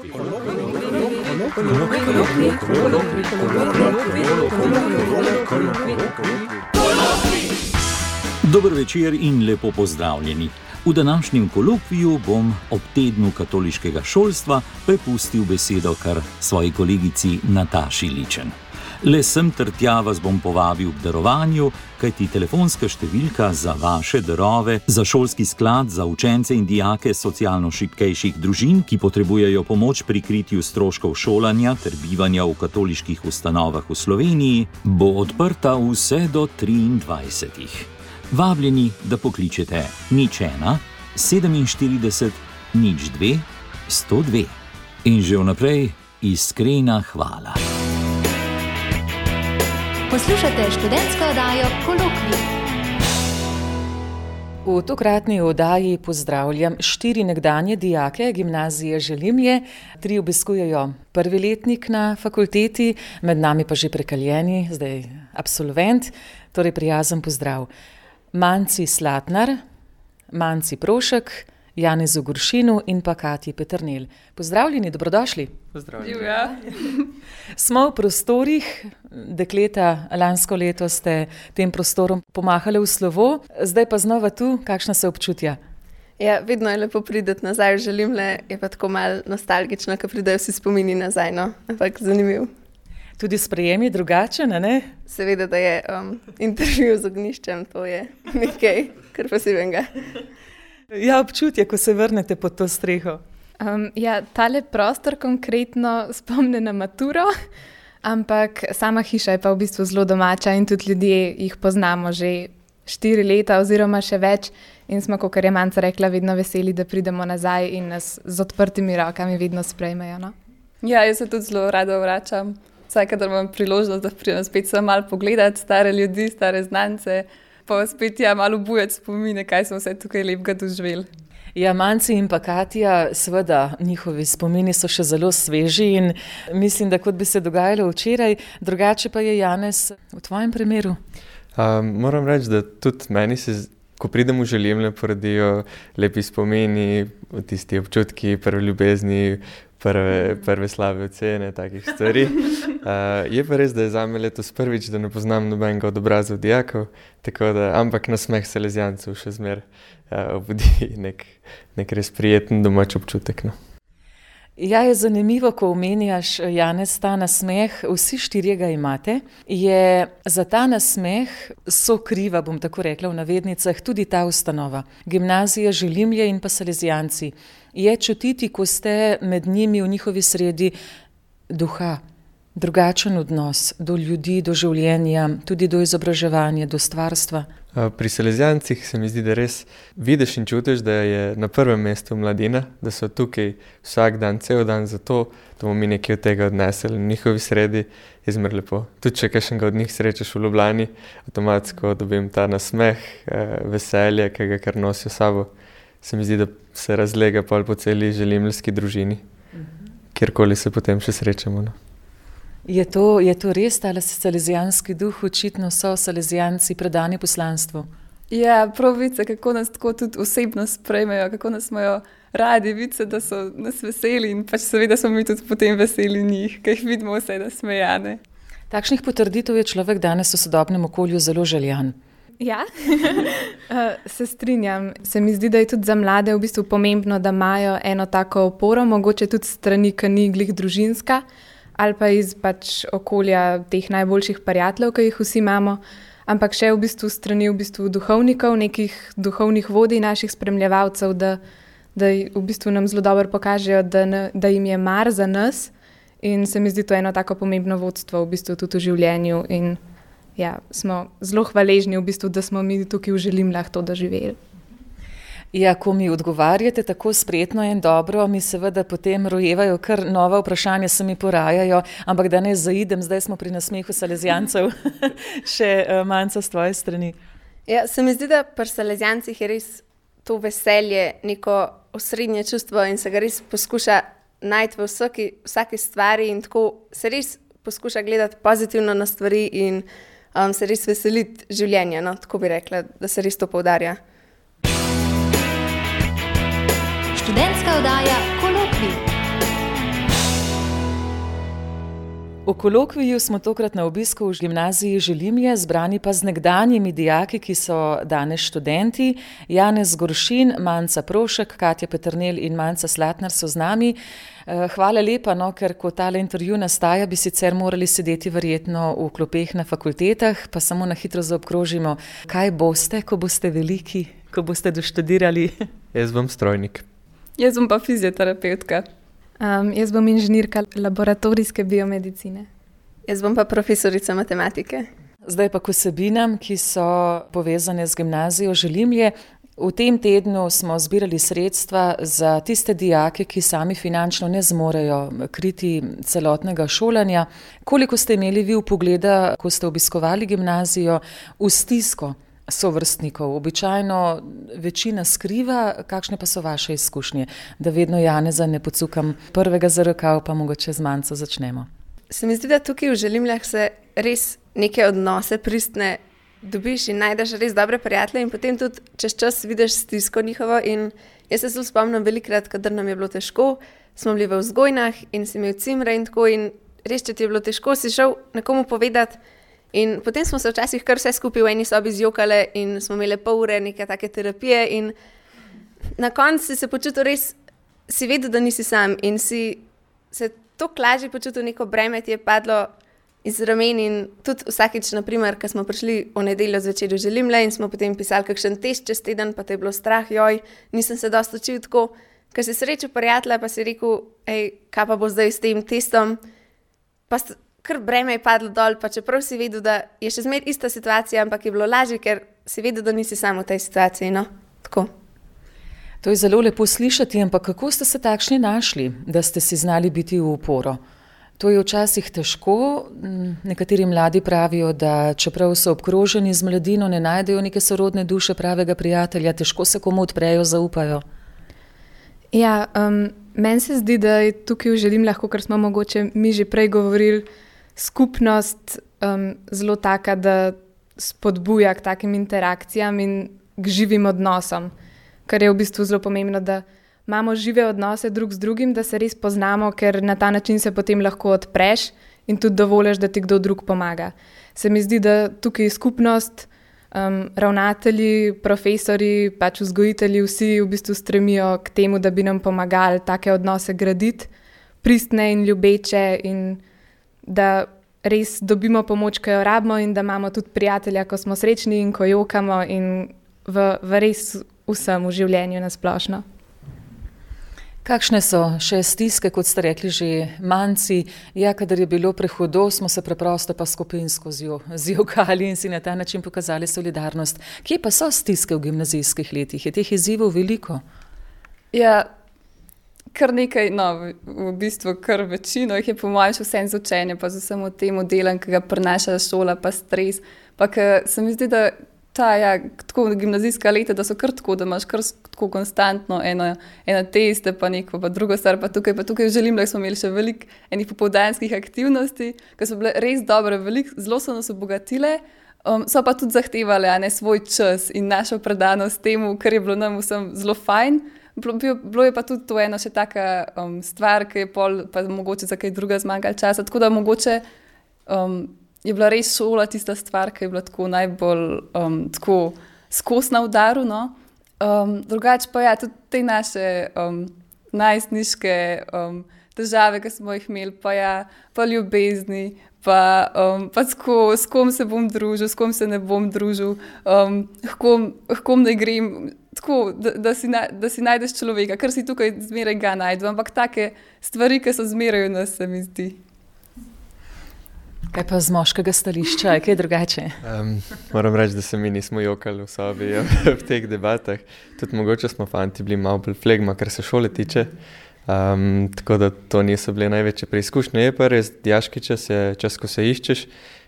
Dober večer in lepo pozdravljeni. V današnjem kolokviju bom ob tednu katoliškega šolstva prepustil besedo kar svoji kolegici Nataši Ličen. Le sem ter tja vas bom povabil k darovanju, kajti telefonska številka za vaše darove za šolski sklad za učence in dijake socialno šibkejših družin, ki potrebujejo pomoč pri kritju stroškov šolanja ter bivanja v katoliških ustanovah v Sloveniji, bo odprta vse do 23. Vabljeni, da pokličete 01 47 02 102. In že vnaprej iskrena hvala. Poslušate študentsko oddajo Kolokvij. V tokratni oddaji pozdravljam 4 nekdanje dijake gimnazije Želimlje. 3 obiskujejo prvi letnik na fakulteti, med nami pa že prekaljeni, zdaj absolvent, torej prijazen pozdrav. Manci Slatnar, Manci Prošek, Janezu Goršinu in pa Katji Peternel. Pozdravljeni, dobrodošli. Pozdravljeni. Smo v prostorih, dekleta, lansko leto ste tem prostorom pomahali v slovo, zdaj pa znova tu, kakšna se občutja? Ja, vedno je lepo prideti nazaj v Želimlje, je pa tako malo nostalgično, ko pridejo vsi spomini nazaj, no, ampak zanimiv. Tudi sprejem je drugačen, ne? Seveda, da je intervju z ognjiščem, to je nekaj kar posebnega. Ja, občutje, ko se vrnete pod to streho. Tale prostor konkretno spomne na maturo, ampak sama hiša je pa v bistvu zelo domača in tudi ljudje jih poznamo že 4 leta oziroma še več in smo, kakor je Manca rekla, vedno veseli, da pridemo nazaj in nas z odprtimi rokami vedno sprejmejo. No? Ja, jaz se tudi zelo rada vračam. Vsakadar imam priložnost, da pridem spet sem malo pogledati stare ljudi, stare znance, pa spet malo obujati spomine, kaj smo vse tukaj lepega doživeli. Ja, Manci in pa Katja, seveda njihovi spomini so še zelo sveži in mislim, da kot bi se dogajalo včeraj, drugače pa je Janez v tvojem primeru. Moram reči, da tudi meni se, ko pridem v Želimlje, porodijo lepi spomini, tisti občutki, prve ljubezni, prve slabe ocene, takih stvari. Je pa res, da je zame letos prvič, da ne poznam nobenega od obrazov dijakov, ampak nasmeh Salezijancev še zmer obudi nek res prijeten domač občutek. No. Ja, je zanimivo, ko omenjaš, Janez, ta nasmeh, vsi 4 ga imate, je za ta nasmeh sokriva, bom tako rekla v navednicah, tudi ta ustanova. Gimnazija Želimlje in pa Salezijanci. Je čutiti, ko ste med njimi v njihovi sredi duha, drugačen odnos do ljudi, do življenja, tudi do izobraževanja, do stvarstva. Pri Salezijancih se mi zdi, da res vidiš in čutiš, da je na prvem mestu mladina, da so tukaj vsak dan, cel dan zato, da bomo mi nekaj od tega odnesli. V njihovi sredi je zmer lepo. Tudi če kakšnega od njih srečaš v Ljubljani, avtomatsko dobim ta nasmeh, veselje, ki ga kar nosijo sabo. Se mi zdi, da se razlega pol po celi želimljski družini, kjerkoli se potem še srečamo. No. Je to res, tale salezijanski duh, očitno so Salezijanci predani poslanstvu? Ja, prav vice, kako nas tako tudi osebno sprejmejo, kako nas imajo radi, vice, da so nas veseli in pač seveda smo mi tudi potem veseli njih, ker jih vidimo vse nasmejane. Takšnih potrditev je človek danes v sodobnem okolju zelo željan. Ja, se strinjam. Se mi zdi, da je tudi za mlade v bistvu pomembno, da imajo eno tako oporo, mogoče tudi strani, ki ni glih družinska, ali pa iz pač okolja teh najboljših prijateljev, ki jih vsi imamo, ampak še v bistvu strani duhovnikov, nekih duhovnih vodij, naših spremljevalcev, da v bistvu nam zelo dobro pokažejo, da jim je mar za nas in se mi zdi to eno tako pomembno vodstvo v bistvu tudi v življenju in ja, smo zelo hvaležni v bistvu, da smo mi tukaj v Želimljah to doživeli. Ja, ko mi odgovarjate tako spretno in dobro, mi seveda potem rojevajo kar nova vprašanja, se mi porajajo, ampak da ne zaidem, zdaj smo pri nasmehu Salezijancev, še Manca s tvoje strani. Ja, se mi zdi, da pri Salezijancih je res to veselje, neko osrednje čustvo in se ga res poskuša najti v vsaki stvari in tako se res poskuša gledati pozitivno na stvari in se res veseliti življenja, no, tako bi rekla, da se res to poudarja. Študentska oddaja Kolokvij. V kolokviju smo tokrat na obisku v gimnaziji Želimlje, zbrani pa z nekdanjimi dijaki, ki so danes študenti. Janez Goršin, Manca Prošek, Katja Peternelj in Manca Slatnar so z nami. Hvala lepa, ker ko tale intervju nastaja, bi sicer morali sedeti verjetno v klopeh na fakultetah, pa samo na hitro zaobkrožimo. Kaj boste, ko boste veliki, ko boste doštudirali? Jaz bom strojnik. Jaz bom pa fizioterapeutka. Jaz bom inženirka laboratorijske biomedicine. Jaz bom pa profesorica matematike. Zdaj pa k vsebinam, ki so povezane z gimnazijo Želimlje. V tem tednu smo zbirali sredstva za tiste dijake, ki sami finančno ne zmorejo kriti celotnega šolanja. Koliko ste imeli vi vpogleda, ko ste obiskovali gimnazijo, v stisko sovrstnikov? Običajno večina skriva, kakšne pa so vaše izkušnje? Da vedno Janeza ne pocukam prvega za rokav, pa mogoče z Manco začnemo. Se mi zdi, da tukaj v Želimljah se res neke odnose pristne dobiš in najdeš res dobre prijatelje in potem tudi čez čas vidiš stisko njihovo. In jaz se zelo spomnim velikrat, kadar nam je bilo težko, smo bili v vzgojnah in si imel cimre in tako, in res, če ti je bilo težko, si šel nekomu povedati. In potem smo se včasih kar vse skupaj v eni sobi zjokale in smo imeli pol ure neke take terapije in na koncu si se počutil res, si vedel, da nisi sam in si se toliko lažje počutil, neko breme ti je padlo iz ramen. In tudi vsakič, naprimer, ko smo prišli v nedeljo zvečer v Želimlje in smo potem pisali kakšen test čez teden, pa te je bilo strah, nisem se dosti učil tako, ker si srečal prijatelja, pa si rekel, kaj pa bo zdaj s tem testom, pa kar breme je padlo dol, pa čeprav si vedel, da je še zmeraj ista situacija, ampak je bilo lažje, ker si vedel, da nisi sam v tej situaciji, tako. To je zelo lepo slišati, ampak kako ste se takšni našli, da ste si znali biti v uporo? To je včasih težko. Nekateri mladi pravijo, da čeprav so obkroženi z mladino, ne najdejo neke sorodne duše, pravega prijatelja, težko se komu odprejo, zaupajo. Ja, meni se zdi, da je tukaj v Želimljah, ker smo mogoče mi že prej govorili, skupnost zelo taka, da spodbuja k takim interakcijam in k živim odnosom, kar je v bistvu zelo pomembno, da imamo žive odnose drug z drugim, da se res poznamo, ker na ta način se potem lahko odpreš in tudi dovoliš, da ti kdo drug pomaga. Se mi zdi, da tukaj skupnost, ravnatelji, profesori, pač vzgojitelji, vsi v bistvu stremijo k temu, da bi nam pomagali take odnose graditi, pristne in ljubeče, in da res dobimo pomoč, ko jo rabimo, in da imamo tudi prijatelja, ko smo srečni in ko jokamo, in v res vsem v življenju nasplošno. Kakšne so še stiske, kot ste rekli že Manci? Ja, kadar je bilo prehudo, smo se preprosto pa skupinsko zjokali in si na ta način pokazali solidarnost. Kje pa so stiske v gimnazijskih letih? Je teh izzivov veliko? Ja, kar nekaj, v bistvu kar večino jih je po mojem še vsem z učenjem, pa z vsem tem delom, ki ga prinaša šola, pa stres. Pa se mi zdi, da tako gimnazijska leta, da so kar tako, da imaš kar tako konstantno eno teste, pa neko, pa drugo stvar, pa tukaj v Želimljah smo imeli še veliko enih popoldanskih aktivnosti, ki so bile res dobre, zelo so nas obogatile, so pa tudi zahtevale svoj čas in našo predanost temu, kar je bilo nam vsem zelo fajn. Bilo je pa tudi to ena še taka stvar, ki je pol pa mogoče za kaj druga zmanjkalo časa, tako da mogoče je bila res šola tista stvar, ki je bila tako najbolj tako skos na udaru. Drugače pa tudi te naše najstniške težave, ki smo jih imeli, pa ljubezni, pa tako, s kom se bom družil, s kom se ne bom družil, kom ne grem, tako, da si najdeš človeka, ker si tukaj zmeraj ga najdu, ampak take stvari, ki so zmeraj v nas, se mi zdi. Kaj pa z moškega stališča, je kaj drugače? Moram reči, da se mi nismo jokali v sobi v teh debatah. Tudi mogoče smo fanti bili malo bolj flegma, kar se šole tiče. Tako da to niso bile največje preizkušnje. Je pa res, dijaški čas je čas, ko se iščeš,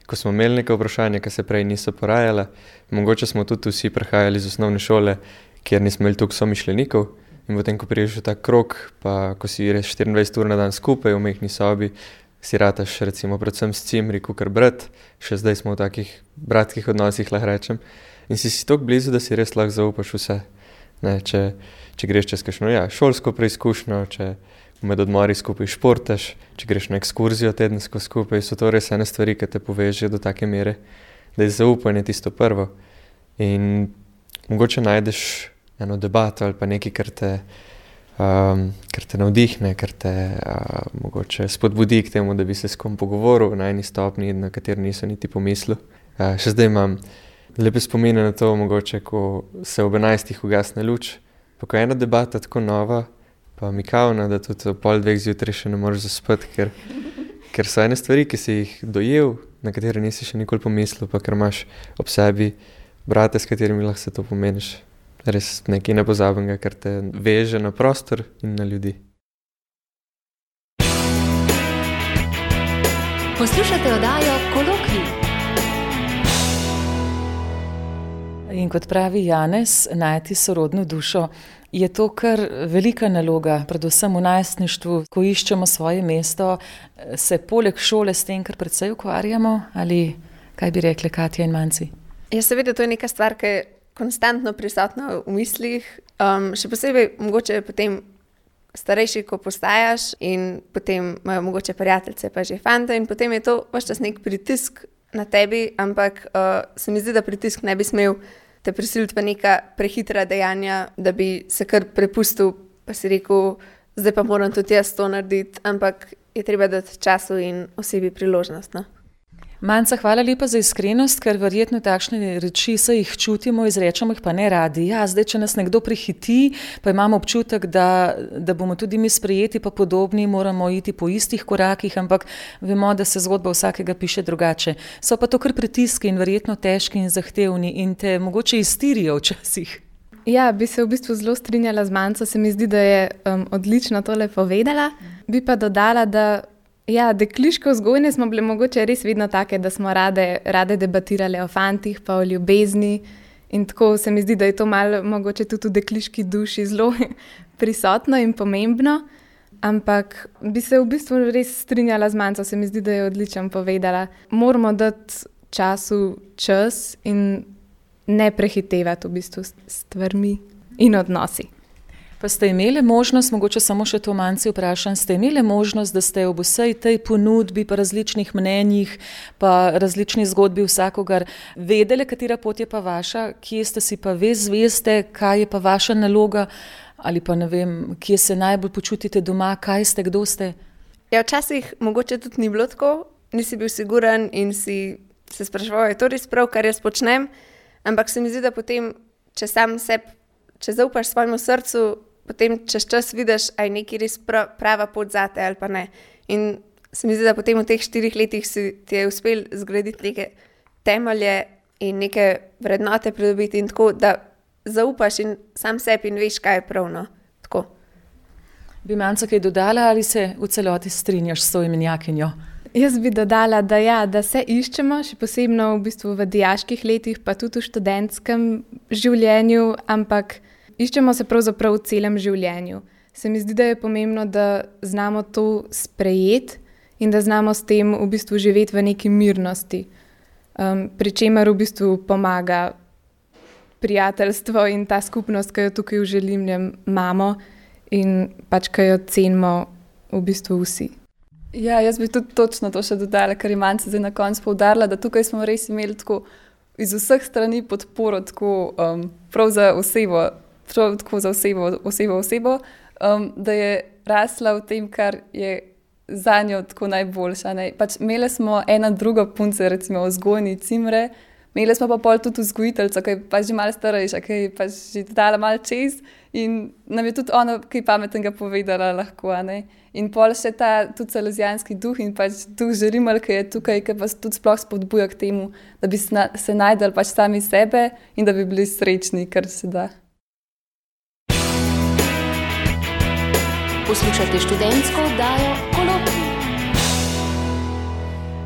ko smo imeli neka vprašanja, ki se prej niso porajala. Mogoče smo tudi vsi prehajali iz osnovne šole, kjer nismo imeli toliko somišljenikov. In potem, ko priješ v ta krog, pa ko si res 24 ur na dan skupaj v mehni sobi, si rataš recimo predvsem s cimri, kakor brat, še zdaj smo v takih bratskih odnosih, lahko rečem. In si toliko blizu, da si res lahko zaupaš vse. Ne, če greš čez kakšno šolsko preizkušnjo, če med odmori skupaj športaš, če greš na ekskurzijo tedensko skupaj, so to res ene stvari, ki te povežejo do take mere, da je zaupanje tisto prvo. In mogoče najdeš eno debato ali pa nekaj, kar te navdihne, kar te mogoče spodbudi k temu, da bi se s kom pogovoril na eni stopni, na kateri niso niti pomislil. Še zdaj imam lepe spomine na to, mogoče, ko se ob 11 ugasne luč, pa ko je ena debata tako nova, pa mikavna, da tudi ob 1:30 zjutraj še ne moreš zaspati, ker so ene stvari, ki si jih dojel, na katere nisi še nikoli pomislil, pa ker imaš ob sebi brate, s katerimi lahko se to pomeniš. Res nekaj nepozabenega, kar te veže na prostor in na ljudi. Poslušate oddajo Kolokvij. In kot pravi Janez, najti sorodno dušo je to kar velika naloga, predvsem v najstništvu, ko iščemo svoje mesto, se poleg šole s tem, kar precej ukvarjamo, ali kaj bi rekli Katja in Manci? Ja, seveda, to je neka stvar, ki je konstantno prisotna v mislih, še posebej mogoče potem starejši, ko postajaš in potem imajo mogoče prijateljice, pa že fante in potem je to ves čas nek pritisk na tebi, ampak se mi zdi, da pritisk ne bi smel te prisiliti v neka prehitra dejanja, da bi se kar prepustil, pa si rekel, zdaj pa moram tudi jaz to narediti, ampak je treba dati času in osebi priložnost, no? Manca, hvala lepa za iskrenost, ker verjetno takšne reči se jih čutimo, izrečemo jih pa ne radi. Ja, zdaj, če nas nekdo prehiti, pa imamo občutek, da bomo tudi mi sprejeti pa podobni, moramo iti po istih korakih, ampak vemo, da se zgodba vsakega piše drugače. So pa to kar pritiski in verjetno težki in zahtevni in te mogoče iztirijo včasih. Ja, bi se v bistvu zelo strinjala z Manco, se mi zdi, da je odlično tole povedala. Bi pa dodala, da ja, dekliško vzgojne smo bile mogoče res vedno take, da smo rade debatirale o fantih pa o ljubezni in tako se mi zdi, da je to malo mogoče tudi v dekliški duši zelo prisotno in pomembno, ampak bi se v bistvu res strinjala z Manco, se mi zdi, da je odlično povedala. Moramo dati času čas in ne prehitevati v bistvu stvarmi in odnosi. Pa ste imeli možnost, mogoče samo še to Manci vprašam, ste imeli možnost, da ste ob vsej tej ponudbi, pa različnih mnenjih, pa različni zgodbi vsakogar vedeli, katera pot je pa vaša, kje ste si pa zveste, kaj je pa vaša naloga, ali pa ne vem, kje se najbolj počutite doma, kaj ste, kdo ste? Ja, včasih mogoče tudi ni bilo tako, nisi bil siguren in si se spraševal, je to res prav, kar jaz počnem, ampak se mi zdi, da potem, če zaupaš svojemu srcu, potem čez čas vidiš, a je nekaj res prava pot zate ali pa ne. In se mi zdi, da potem v teh 4 letih ti je uspel zgraditi neke temelje in neke vrednote pridobiti in tako, da zaupaš in sam sebi in veš, kaj je pravno. Tako. Bi Manca kaj dodala ali se v celoti strinjaš s to imenjakinjo? Jaz bi dodala, da se iščemo, še posebno v bistvu v dijaških letih, pa tudi v študentskem življenju, ampak iščemo se pravzaprav v celem življenju. Se mi zdi, da je pomembno, da znamo to sprejeti in da znamo s tem v bistvu živeti v neki mirnosti. Pri čemer v bistvu pomaga prijateljstvo in ta skupnost, ki jo tukaj v Želimljem imamo in pač, ki jo cenimo v bistvu vsi. Ja, jaz bi tudi točno to še dodala, ker je Manca zdaj na koncu poudarila, da tukaj smo res imeli tako iz vseh strani podporo, tako prav za osebo, da je rasla v tem, kar je za njo tako najboljša. Ne? Pač imeli smo ena druga punca, recimo vzgojni Cimre, imeli smo pa pol tudi vzgojiteljico, ki je pač že malo starejša, ki je pač že dala malo čez in nam je tudi ona kaj pametnega povedala lahko. Ne? In pol še ta tudi salezijanski duh in pač duh Želimelj, ki je tukaj, ki vas tudi sploh spodbuja k temu, da bi se najdali pač sami sebe in da bi bili srečni, kar se da. Poslušate študentsko oddajo Kolokvij.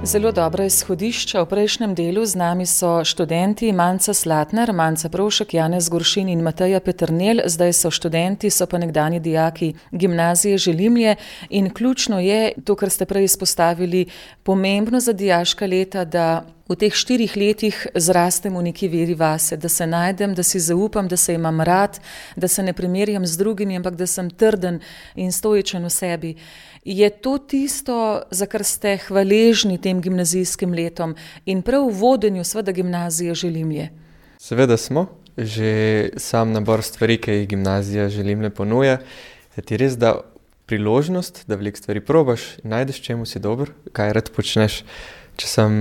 Zelo dobra izhodišča. V prejšnjem delu z nami so študenti Manca Slatnar, Manca Provšek, Janez Goršin in Mateja Peternelj. Zdaj so študenti, so pa nekdanji dijaki gimnazije Želimlje in ključno je to, kar ste prej izpostavili, pomembno za dijaška leta, da v teh 4 letih zrastem v neki veri vase, da se najdem, da si zaupam, da se imam rad, da se ne primerjam z drugimi, ampak da sem trden in stoičen v sebi. Je to tisto, za kar ste hvaležni tem gimnazijskim letom in prav v vodenju seveda gimnazije Želimlje? Seveda smo. Že sam nabor stvari, ki jih gimnazija Želimlje ponuja, ti res da priložnost, da veliko stvari probaš in najdeš, čemu si dober, kaj rad počneš. Če sem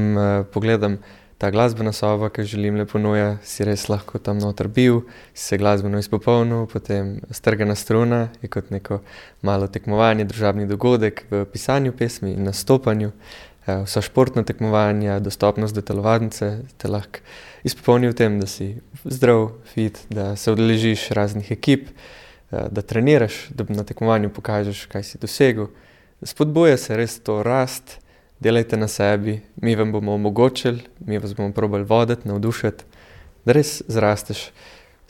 pogledam ta glasbena soba, ki Želimlje ponuja, si res lahko tam noter bil, si se glasbeno izpopolnil, potem strgana struna je kot neko malo tekmovanje, družabni dogodek v pisanju pesmi in nastopanju. Vsa športna tekmovanja, dostopnost do telovadnice te lahko izpopolni v tem, da si zdrav, fit, da se udeležiš raznih ekip, da treniraš, da na tekmovanju pokažeš, kaj si dosegel. Spodbuja se res to rast, delajte na sebi, mi vam bomo omogočili, mi vas bomo probali voditi, navdušiti, da res zrasteš.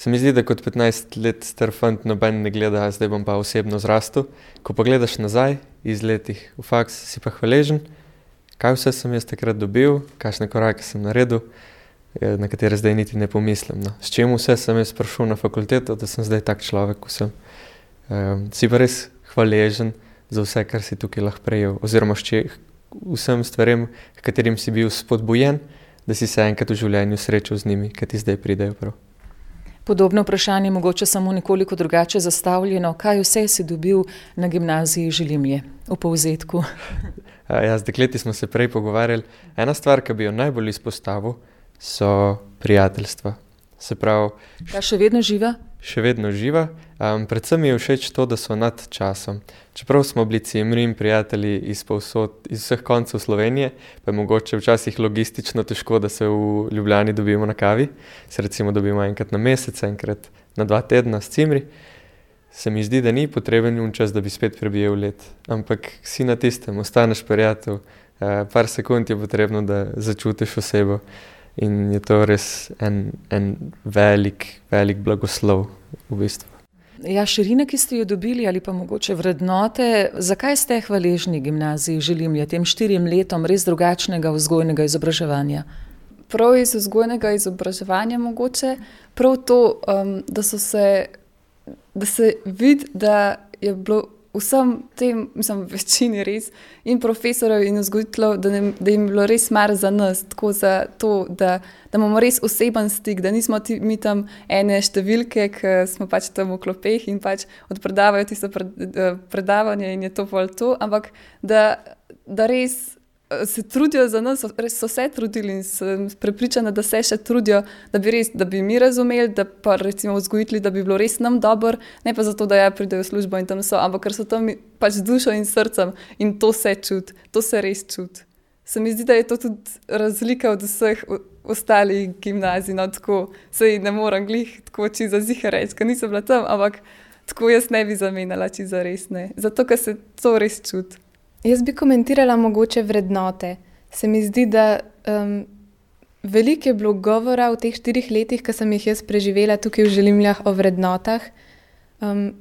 Se mi zdi, da kot 15 let star fant noben ne gleda, zdaj bom pa osebno zrastel. Ko pa gledaš nazaj iz letih v faks, si pa hvaležen, kaj vse sem jaz takrat dobil, kakšne korake sem naredil, na katere zdaj niti ne pomislim. No. S čem vse sem jaz prišel na fakulteto, da sem zdaj tak človek, ko sem. Si pa res hvaležen za vse, kar si tukaj lahko prejel, oziroma vsem stvarem, katerim si bil spodbujen, da si se enkrat v življenju srečal z njimi, ki ti zdaj pridejo prav. Podobno vprašanje, mogoče samo nekoliko drugače zastavljeno. Kaj vse si dobil na gimnaziji Želimlje v povzetku? Z dekleti smo se prej pogovarjali. Ena stvar, ki bi jo najbolj izpostavil, so prijateljstva. Se pravi... Ta še vedno živa? Še vedno živa. Predvsem mi je všeč to, da so nad časom. Čeprav smo bili cimri in prijatelji iz vseh koncev Slovenije, pa je mogoče včasih logistično težko, da se v Ljubljani dobimo na kavi. Se recimo dobimo enkrat na mesec, enkrat na 2 tedna s cimri. Se mi zdi, da ni potreben čas, da bi spet prebijel let. Ampak si na tistem, ostaneš prijatelj. Par sekund je potrebno, da začutiš osebo. In je to res en velik blagoslov v bistvu. Ja, širine, ki ste jo dobili ali pa mogoče vrednote, zakaj ste hvaležni gimnaziji Želimlje tem 4 letom res drugačnega vzgojnega izobraževanja? Prav iz vzgojnega izobraževanja mogoče, prav to, da se vidi, da je bilo vsem tem, mislim, večini res, in profesorjev in vzgojiteljev, da jim je bilo res mar za nas, tako za to, da imamo res oseben stik, da nismo mi tam ene številke, ki smo pač tam v klopeh in pač odpredavajo tisto predavanje in je to pol to, ampak da res se trudijo za nas, res so se trudili in sem prepričana, da se še trudijo, da bi mi razumeli, da pa recimo vzgojitelji, da bi bilo res nam dobro, ne pa zato, da pridejo v službo in tam so, ampak ker so tam pač z dušo in srcem in to se čuti, to se res čuti. Se mi zdi, da je to tudi razlika od vseh ostalih gimnazij, no tako, saj ne moram glih tako čisto ziher reči, ker nisem bila tam, ampak tako jaz ne bi zamenjala čisto res, ne, zato ker se to res čuti. Jaz bi komentirala mogoče vrednote. Se mi zdi, da veliko je bilo govora v teh 4 letih, ki sem jih jaz preživela tukaj v Želimljah o vrednotah.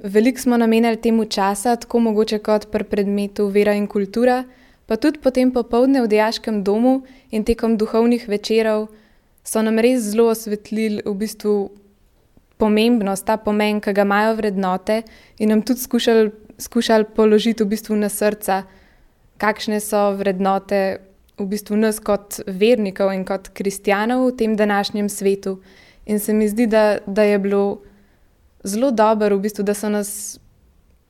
Veliko smo namenjali temu časa, tako mogoče kot pri predmetu vera in kultura, pa tudi potem popoldne v dijaškem domu in tekom duhovnih večerov so nam res zelo osvetlili v bistvu pomembnost, ta pomen, ki ga imajo vrednote in nam tudi skušali položiti v bistvu na srca, kakšne so vrednote v bistvu nas kot vernikov in kot kristjanov v tem današnjem svetu. In se mi zdi, da je bilo zelo dobro v bistvu, da so nas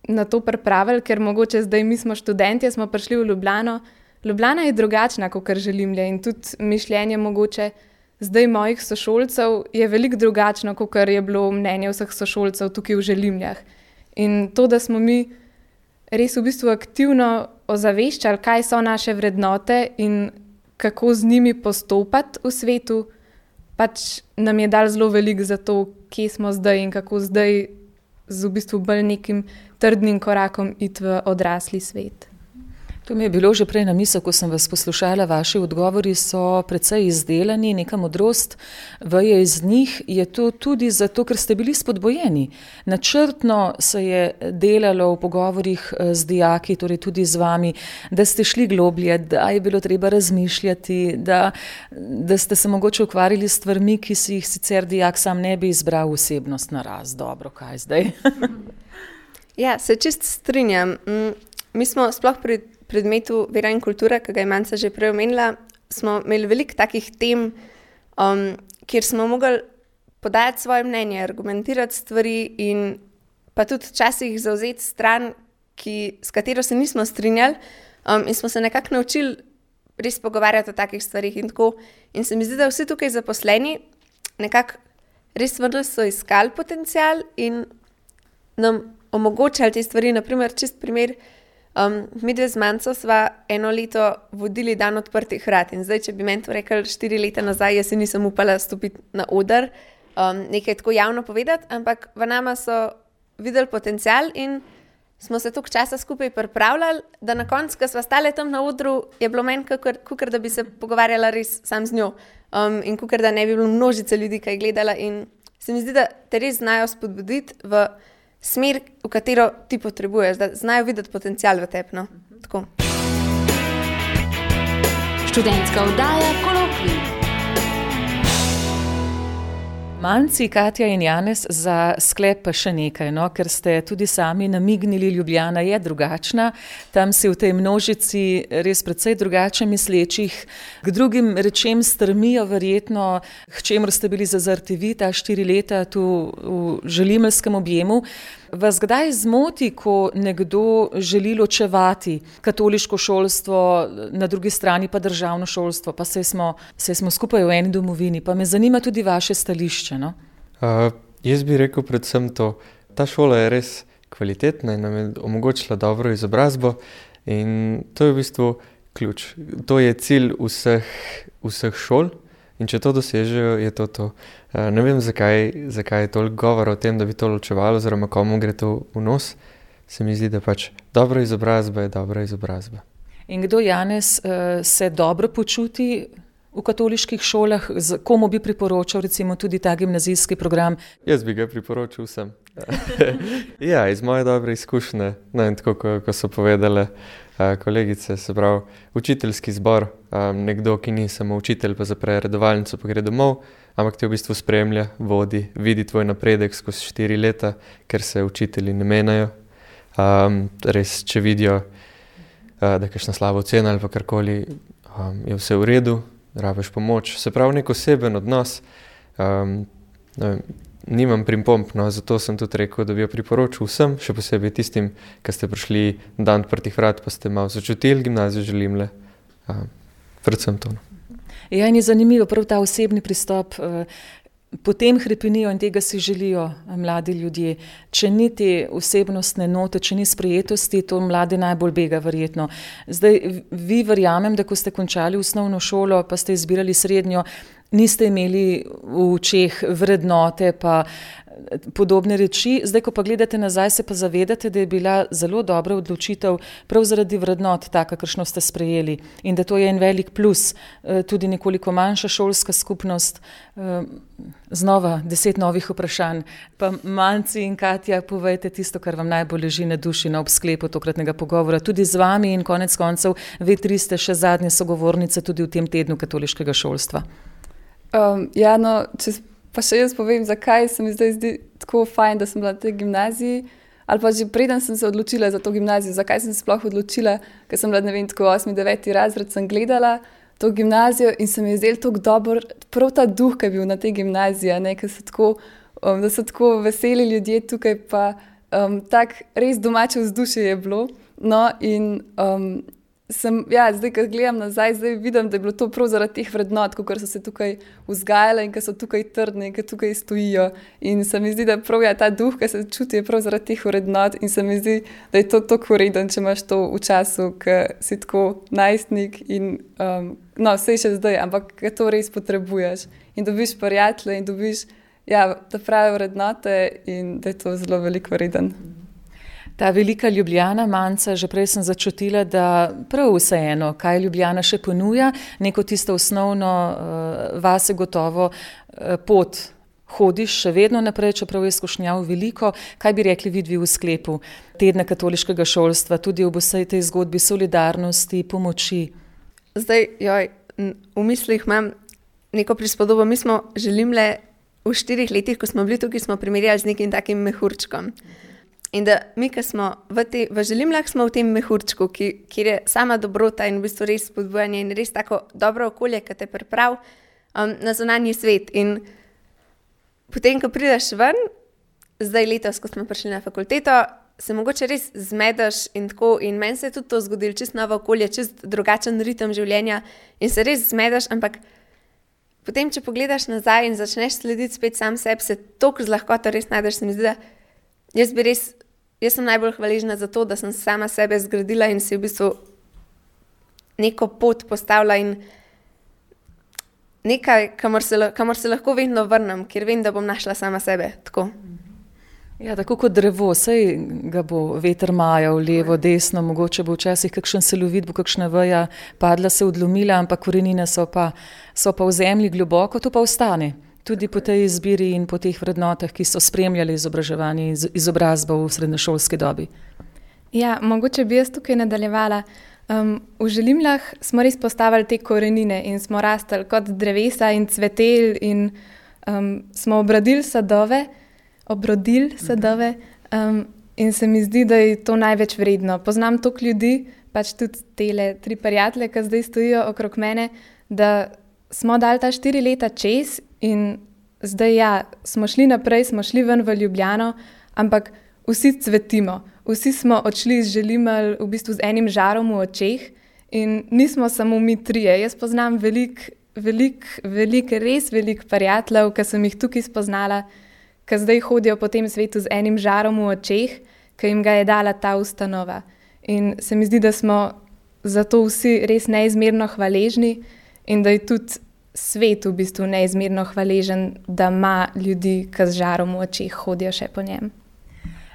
na to pripravili, ker mogoče zdaj mi smo študentje, smo prišli v Ljubljano. Ljubljana je drugačna, kot Želimlje in tudi mišljenje mogoče zdaj mojih sošolcev je veliko drugačno, kot je bilo mnenje vseh sošolcev tukaj v Želimljah. In to, da smo mi res v bistvu aktivno ozaveščali, kaj so naše vrednote in kako z njimi postopati v svetu, pač nam je dal zelo veliko za to, kje smo zdaj in kako zdaj z v bistvu bolj nekim trdnim korakom iti v odrasli svet. To mi je bilo že prej na misel, ko sem vas poslušala, vaši odgovori so precej izdelani, neka modrost veje iz njih. Je to tudi zato, ker ste bili spodbojeni? Načrtno se je delalo v pogovorih z dijaki, torej tudi z vami, da ste šli globlje, da je bilo treba razmišljati, da ste se mogoče ukvarjali s stvarmi, ki si jih sicer dijak sam ne bi izbral osebnost naraz. Dobro, kaj zdaj? Ja, se čist strinjam. Mi smo sploh pri predmetu vera in kultura, ki ga je Manca že prej omenila, smo imeli veliko takih tem, kjer smo mogli podajati svoje mnenje, argumentirati stvari in pa tudi včasih zavzeti stran, s katero se nismo strinjali, in smo se nekako naučili res pogovarjati o takih stvarih in tako. In se mi zdi, da vsi tukaj zaposleni nekako res vrlo so iskali potencial in nam omogočali te stvari. Naprimer, čist primer, mi dve z Manco sva eno leto vodili dan odprtih vrat in zdaj, če bi meni to rekli 4 leta nazaj, jaz si nisem upala stopiti na oder, nekaj tako javno povedati, ampak v nama so videli potencial in smo se toliko časa skupaj pripravljali, da na koncu, ko sva stale tam na odru, je bilo meni kakor da bi se pogovarjala res sam z njo, in kakor da ne bi bilo množice ljudi, ki je gledala, in se mi zdi, da te res znajo spodbuditi v smer, v katero ti potrebuješ, da znajo videti potencial v tebi. No? Tako. Študentska oddaja Kolokvij. Manci, Katja in Janez, za sklep pa še nekaj, no? Ker ste tudi sami namignili, Ljubljana je drugačna, tam si v tej množici res precej drugače mislečih, k drugim rečem strmijo verjetno, k čemur ste bili zazrti vi ta 4 leta tu v želimelskem objemu. Vas kdaj zmoti, ko nekdo želi ločevati katoliško šolstvo, na drugi strani pa državno šolstvo, pa saj smo skupaj v eni domovini, pa me zanima tudi vaše stališče, no? Jaz bi rekel predvsem to, ta šola je res kvalitetna in nam je omogočila dobro izobrazbo in to je v bistvu ključ. To je cilj vseh šol in če to dosežejo, je to. Ne vem, zakaj je toliko govora o tem, da bi to ločevalo, oziroma komu gre to v nos. Se mi zdi, da pač dobra izobrazba je dobra izobrazba. In kdo, Janez, se dobro počuti v katoliških šolah? Komu bi priporočal recimo tudi ta gimnazijski program? Jaz bi ga priporočil vsem. Ja, iz moje dobre izkušnje, tako ko so povedale kolegice, se pravi, učiteljski zbor, nekdo, ki ni samo učitelj, pa zapre redovalnico, pa gre domov, ampak te v bistvu spremlja, vodi, vidi tvoj napredek skozi 4 leta, ker se učitelji ne menjajo. Res, če vidijo, da je kakšna slaba ocena ali pa karkoli, je vse v redu, rabiš pomoč. Se pravi, nek oseben odnos, nimam pripomb, no, zato sem tudi rekel, da bi jo priporočil vsem, še posebej tistim, ki ste prišli dan odprtih vrat, pa ste malo začutili gimnazijo Želimlje. Predvsem to. Ja, in je zanimivo prav ta osebni pristop. Potem hrepenijo in tega si želijo mladi ljudje. Če ni te osebnostne note, če ni sprejetosti, to mlade najbolj bega verjetno. Zdaj, vi verjamem, da ko ste končali osnovno šolo, pa ste izbirali srednjo, niste imeli v očeh vrednote pa podobne reči. Zdaj, ko pa gledate nazaj, se pa zavedate, da je bila zelo dobra odločitev prav zaradi vrednot, taka, kakršno ste sprejeli. In da to je en velik plus, tudi nekoliko manjša šolska skupnost. Znova 10 novih vprašanj. Pa Manci in Katja, povejte tisto, kar vam najbolj leži na duši na ob sklepu tokratnega pogovora. Tudi z vami in konec koncev, vi 3 ste še zadnje sogovornice tudi v tem tednu katoliškega šolstva. Ja, no, pa še jaz povem, zakaj se mi zdaj zdi tako fajn, da sem bila na tej gimnaziji, ali pa že preden sem se odločila za to gimnazijo, zakaj sem se sploh odločila, ker sem bila, ne vem, tako 8., 9. razred sem gledala to gimnazijo in se mi je zdelo tako dobro, prav ta duh, ki je bil na tej gimnaziji, ne, da so tako veseli ljudje tukaj, pa tak res domače vzdušje je bilo. No, in zdaj, ko gledam nazaj, zdaj vidim, da je bilo to prav zaradi teh vrednot, kot so se tukaj vzgajale in ki so tukaj trdne in ki tukaj stojijo. In se mi zdi, da prav ta duh, ki se čuti, je prav zaradi teh vrednot in se mi zdi, da je to tako vreden, če imaš to v času, ko si tako najstnik in vse še zdaj, ampak ko to res potrebuješ. In dobiš prijatelje in dobiš ta prave vrednote in da je to zelo veliko vreden. Ta velika Ljubljana, Manca, že prej sem začutila, da prav vseeno, kaj Ljubljana še ponuja, neko tisto osnovno vase gotovo pot hodiš še vedno naprej, čeprav je izkušnjav veliko. Kaj bi rekli vidvi v sklepu tedna katoliškega šolstva, tudi ob vsej tej zgodbi solidarnosti, pomoči? Zdaj, v mislih imam neko prispodobo. Mi smo želimle v 4 letih, ko smo bili tukaj, smo primerjali z nekim takim mehurčkom. In da mi, ki smo v želimlah, smo v tem mehurčku, kjer je sama dobrota in v bistvu res spodbujanje in res tako dobro okolje, ki te pripravi na zunanji svet. In potem, ko prideš ven, zdaj letos, ko smo prišli na fakulteto, se mogoče res zmedeš in tako. In meni se je tudi to zgodilo, čist novo okolje, čist drugačen ritem življenja in se res zmedeš, ampak potem, če pogledaš nazaj in začneš slediti spet sam sebi, se toliko z lahkoto res najdeš. Se mi zdi, da jaz sem najbolj hvaležna za to, da sem sama sebe zgradila in si v bistvu neko pot postavila in nekaj, kamor se lahko vedno vrnem, ker vem, da bom našla sama sebe. Tako. Ja, tako kot drevo, sej ga bo veter majal levo, desno, mogoče bo včasih kakšen celovit, bo kakšna veja padla, se odlomila, ampak korenine so pa v zemlji globoko, to pa ostane. Tudi po tej izbiri in po teh vrednotah, ki so spremljali izobraževanje in izobrazbo v srednješolski dobi. Ja, mogoče bi jaz tukaj nadaljevala. V želimlah smo res postavili te korenine in smo rastli kot drevesa in cveteli in smo obrodili sadove in se mi zdi, da je to največ vredno. Poznam toliko ljudi, pač tudi tele 3 prijatelje, ki zdaj stojijo okrog mene, da smo dali ta 4 leta čez in zdaj smo šli naprej, smo šli ven v Ljubljano, ampak vsi cvetimo. Vsi smo odšli iz želimelj v bistvu z enim žarom v očeh in nismo samo mi 3. Jaz poznam res veliko prijateljev, ki sem jih tukaj spoznala, ki zdaj hodijo po tem svetu z enim žarom v očeh, ki jim ga je dala ta ustanova. In se mi zdi, da smo zato vsi res neizmerno hvaležni in da je tudi svet v bistvu neizmerno hvaležen, da ima ljudi, ki z žarom v očeh hodijo še po njem.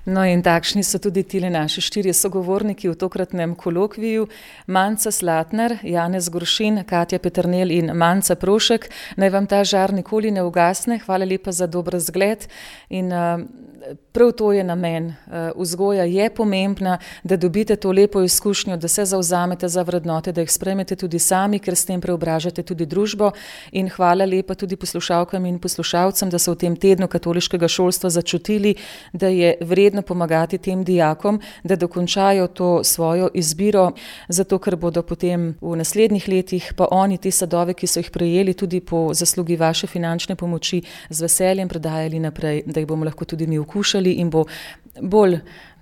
No in takšni so tudi tile naši 4 sogovorniki v tokratnem kolokviju. Manca Slatnar, Janez Goršin, Katja Peternelj in Manca Prošek. Naj vam ta žar nikoli ne ugasne. Hvala lepa za dober zgled. In prav to je namen. Vzgoja je pomembna, da dobite to lepo izkušnjo, da se zavzamete za vrednote, da jih sprejmete tudi sami, ker s tem preobražate tudi družbo. In hvala lepa tudi poslušalkam in poslušalcem, da so v tem tednu katoliškega šolstva začutili, da je vredno pomagati tem dijakom, da dokončajo to svojo izbiro, zato ker bodo potem v naslednjih letih pa oni te sadove, ki so jih prejeli tudi po zaslugi vaše finančne pomoči, z veseljem predajali naprej, da jih bomo lahko tudi mi okušali in bo bolj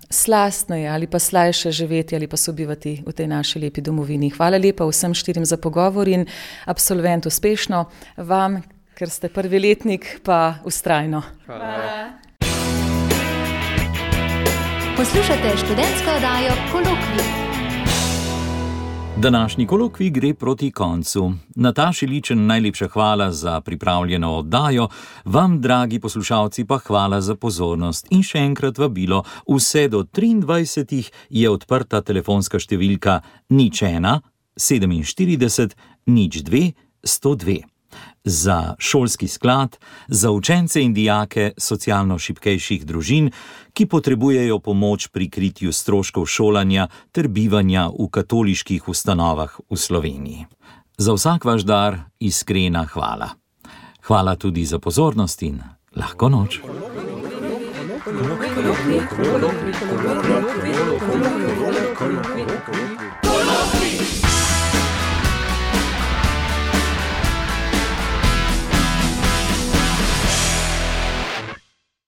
slastneje ali pa slajše živeti ali pa sobivati v tej naši lepi domovini. Hvala lepa vsem 4 za pogovor in absolvent uspešno. Vam, ker ste prvi letnik, pa vztrajno. Hvala. Poslušate študentsko oddajo Kolokvij. Današnji kolokvij gre proti koncu. Nataši Ličen najlepša hvala za pripravljeno oddajo, vam, dragi poslušalci, pa hvala za pozornost. In še enkrat vabilo, vse do 23. je odprta telefonska številka 01 47 02 102. Za šolski sklad, za učence in dijake socialno šibkejših družin, ki potrebujejo pomoč pri kritju stroškov šolanja ter bivanja v katoliških ustanovah v Sloveniji. Za vsak vaš dar iskrena hvala. Hvala tudi za pozornost in lahko noč.